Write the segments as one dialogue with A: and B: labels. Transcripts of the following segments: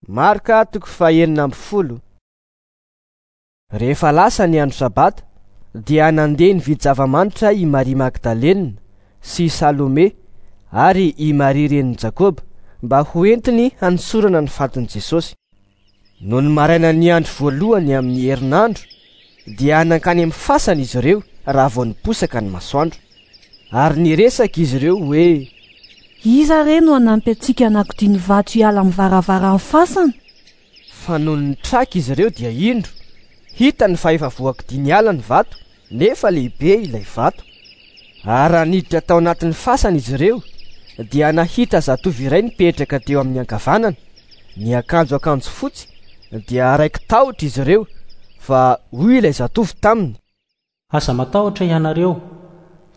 A: Marka toko faha-16. Rehefa lasa ny andro Sabata, dia nandeha nividy zava-manitra i Maria Magdalena sy i Salome ary i Maria renin'i Jakoba mba hoentiny hanosorana ny fatin'i Jesosy. Nony marainan'ny andro voalohany amin'ny herinandro, dia nankany amin'ny fasana izy ireo raha vao niposaka ny masoandro. Ary niresaka izy ireo hoe.
B: Iza re no hanampy antsika hanakodia ny vato hiala amin'ny varavaran'ny fasana?
A: Fa nony nitraka izy ireo dia indro, hitany fa efa voakodia niala ny vato, nefa lehibe ilay vato. Ary raha niditra tao anatin'ny fasana izy ireo, dia nahita zatovo iray nipetraka teo amin'ny ankavanana, niakanjo akanjo fotsy, dia raiki-tahotra izy ireo, fa hoy ilay zatovo taminy.
C: Aza matahotra ianareo.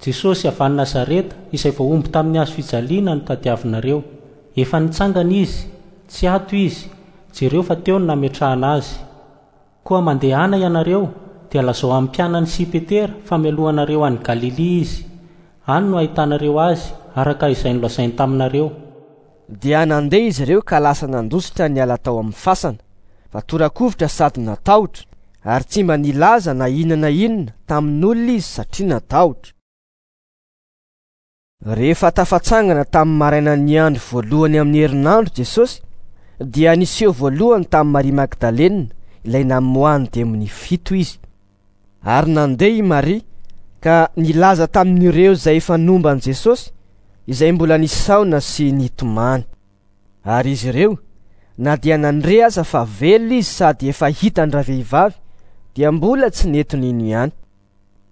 C: Jesosy avy any Nazareta, izay voahombo tamin'ny hazo fijaliana no tadiavinareo. Efa nitsangana Izy, tsy ato Izy, jereo fa teo no nametrahana Azy. Koa mandehana ianareo, dia lazao amin'ny mpianany sy i Petera fa mialoha anareo any Galilia Izy. Any no hahitanareo Azy, araka izay nolazainy taminareo.
A: Dia nandeha izy ireo ka lasa nandositra niala tao amin'ny fasana, fa tora-kovitra sady natahotra, ary tsy mba nilaza na inona na inona tamin'olona izy satria natahotra. Rehefa tafatsangana tamin'ny marainan'ny andro voalohany amin'ny herinandro Jesosy, dia niseho voalohany tamin'i Maria Magdalena, ilay namoahan'ny demonia fito izy. Ary nandeha i Maria ka nilaza tamin'ireo izay efa nomba an'i Jesosy, izay mbola nisaona sy nitomany. Ary izy ireo, na dia nandre aza fa velona izy sady efa hitan-dravehivavy, dia mbola tsy nety nino ihany.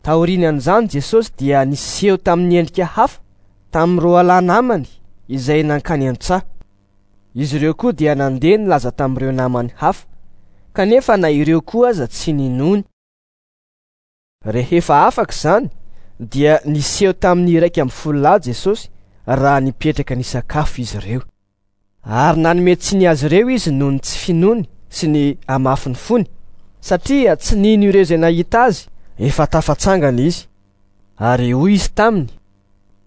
A: Taorian'izany Jesosy dia niseho tamin'ny endrika hafa tamin'ny roalahy namany izay nankany an-tsaha. Izy ireo koa dia nandeha nilaza tamin'ireo namany hafa, kanefa na ireo koa aza tsy ninoany. Rehefa afaka izany, dia niseho tamin'ny 11 lahy Jesosy raha nipetraka nisakafo izy ireo. Ary nanome tsiny azy ireo izy noho ny tsy finoany sy ny hamafin'ny fony, satria tsy nino ireo izay nahita azy efa tafatsangana izy. Ary hoy izy taminy.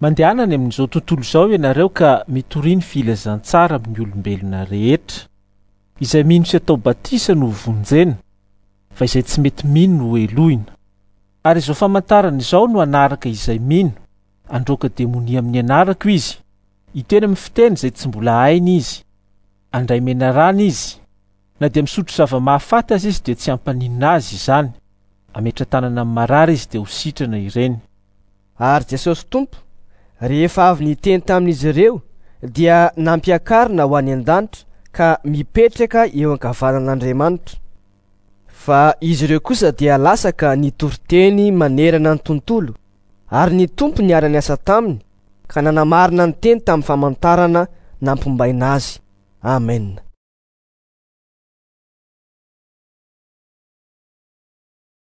D: Mandehana any amin'izao tontolo izao ianareo ka mitoria ny filazantsara amin'ny olombelona rehetra. Izay mino sy atao batisa no hovonjena, fa izay tsy mety mino no hohelohina. Ary izao famantarana izao no hanaraka izay mino, handroaka demonia amin'ny anarako izy, hiteny amin'ny fiteny izay tsy mbola hainy izy, handray menarana izy, na dia misotro zava-mahafaty aza izy dia tsy hampaninona azy izany, hametra-tanana amin'ny marary izy dia ho sitrana ireny.
A: Ary Jesosy Tompo, rehefa avy niteny tamin'izy ireo, dia nampiakarina ho any an-danitra ka mipetraka eo ankavanan'Andriamanitra. Fa izy ireo kosa dia lasa ka nitory teny manerana ny tontolo, ary ny Tompo niara-niasa taminy ka nanamarina ny teny tamin'ny famantarana nampombaina azy. Amena.